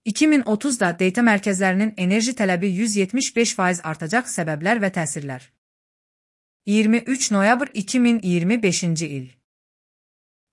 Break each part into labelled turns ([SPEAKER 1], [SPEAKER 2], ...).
[SPEAKER 1] 2030'da data mərkəzlərinin enerji tələbi 175% artacaq səbəblər və təsirlər. 23 noyabr 2025-ci il.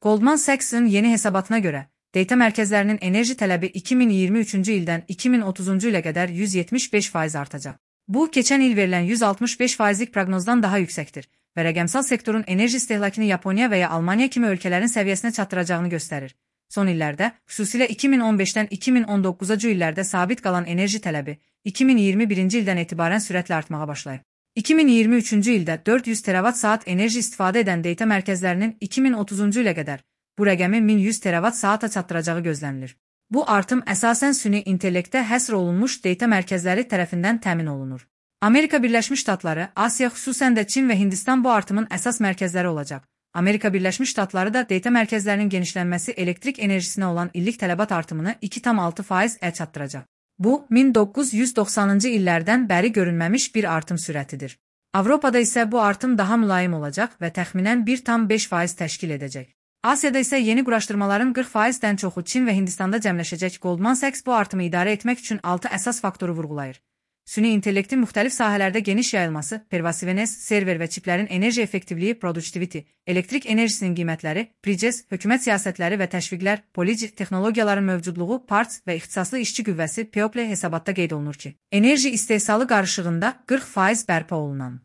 [SPEAKER 1] Goldman Sachs'ın yeni hesabatına görə, data mərkəzlərinin enerji tələbi 2023-cü ildən 2030-cu ilə qədər 175% artacaq. Bu, keçən il verilən 165%lik proqnozdan daha yüksəkdir və rəqəmsal sektorun enerji istehlakını Yaponiya və ya Almaniya kimi ölkələrin səviyyəsinə çatdıracağını göstərir. Son illərdə, xüsusilə 2015-dən 2019-cu illərdə sabit qalan enerji tələbi 2021-ci ildən etibarən sürətlə artmağa başlayıb. 2023-cü ildə 400 terawatt-saat enerji istifadə edən data mərkəzlərinin 2030-cu ilə qədər bu rəqəmi 1100 terawatt-saata çatdıracağı gözlənilir. Bu artım əsasən süni intellektə həsr olunmuş data mərkəzləri tərəfindən təmin olunur. Amerika Birləşmiş Ştatları, Asiya, xüsusən də Çin və Hindistan bu artımın əsas mərkəzləri olacaq. Amerika Birləşmiş Ştatları da data mərkəzlərinin genişlənməsi elektrik enerjisinə olan illik tələbat artımını 2,6%-ə çatdıracaq. Bu, 1990-cı illərdən bəri görünməmiş bir artım sürətidir. Avropada isə bu artım daha mülayim olacaq və təxminən 1,5% təşkil edəcək. Asiyada isə yeni quraşdırmaların 40%-dən çoxu Çin və Hindistanda cəmləşəcək. Goldman Sachs bu artımı idarə etmək üçün 6 əsas faktoru vurğulayır. Süni intellektin müxtəlif sahələrdə geniş yayılması, pervasiveness, server və çiplərin enerji effektivliyi, productivity, elektrik enerjisinin qiymətləri, prices, hökumət siyasətləri və təşviqlər, policy texnologiyaların mövcudluğu, parts və ixtisaslı işçi qüvvəsi POPL hesabatda qeyd olunur ki, enerji istehsalı qarışığında 40% bərpa olunan,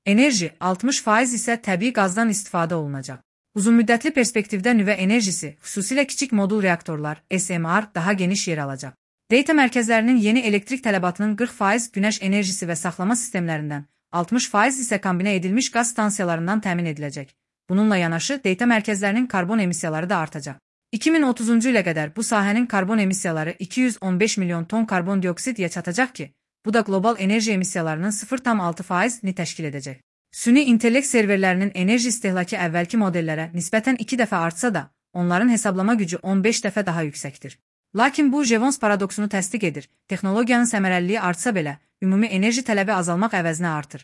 [SPEAKER 1] enerji 60% isə təbii qazdan istifadə olunacaq. Uzunmüddətli perspektivdə nüvə enerjisi, xüsusilə kiçik modul reaktorlar, SMR daha geniş yer alacaq. Data mərkəzlərinin yeni elektrik tələbatının 40% günəş enerjisi və saxlama sistemlərindən, 60% isə kombinə edilmiş qaz stansiyalarından təmin ediləcək. Bununla yanaşı, data mərkəzlərinin karbon emissiyaları da artacaq. 2030-cu ilə qədər bu sahənin karbon emissiyaları 215 milyon ton karbon dioksidiyə çatacaq ki, bu da qlobal enerji emissiyalarının 0,6%-ni təşkil edəcək. Süni intellekt serverlərinin enerji istehlakı əvvəlki modellərə nisbətən 2 dəfə artsa da, onların hesablama gücü 15 dəfə daha yüksəkdir. Lakin bu Jevons paradoksunu təsdiq edir. Texnologiyanın səmərəliliyi artsa belə, ümumi enerji tələbi azalmaq əvəzinə artır.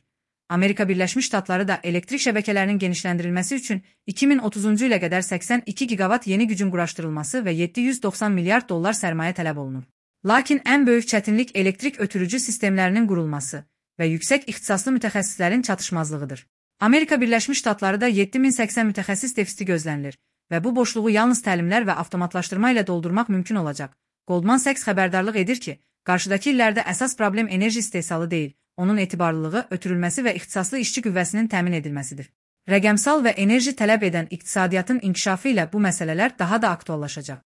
[SPEAKER 1] Amerika Birləşmiş Ştatları da elektrik şəbəkələrinin genişləndirilməsi üçün 2030-cu ilə qədər 82 gigavat yeni gücün quraşdırılması və 790 milyard dollar sərmayə tələb olunur. Lakin ən böyük çətinlik elektrik ötürücü sistemlərinin qurulması və yüksək ixtisaslı mütəxəssislərin çatışmazlığıdır. Amerika Birləşmiş Ştatları da 7080 mütəxəssis defisiti gözlənilir və bu boşluğu yalnız təlimlər və avtomatlaşdırma ilə doldurmaq mümkün olacaq. Goldman Sachs xəbərdarlıq edir ki, qarşıdakı illərdə əsas problem enerji istehsalı deyil, onun etibarlılığı, ötürülməsi və ixtisaslı işçi qüvvəsinin təmin edilməsidir. Rəqəmsal və enerji tələb edən iqtisadiyyatın inkişafı ilə bu məsələlər daha da aktuallaşacaq.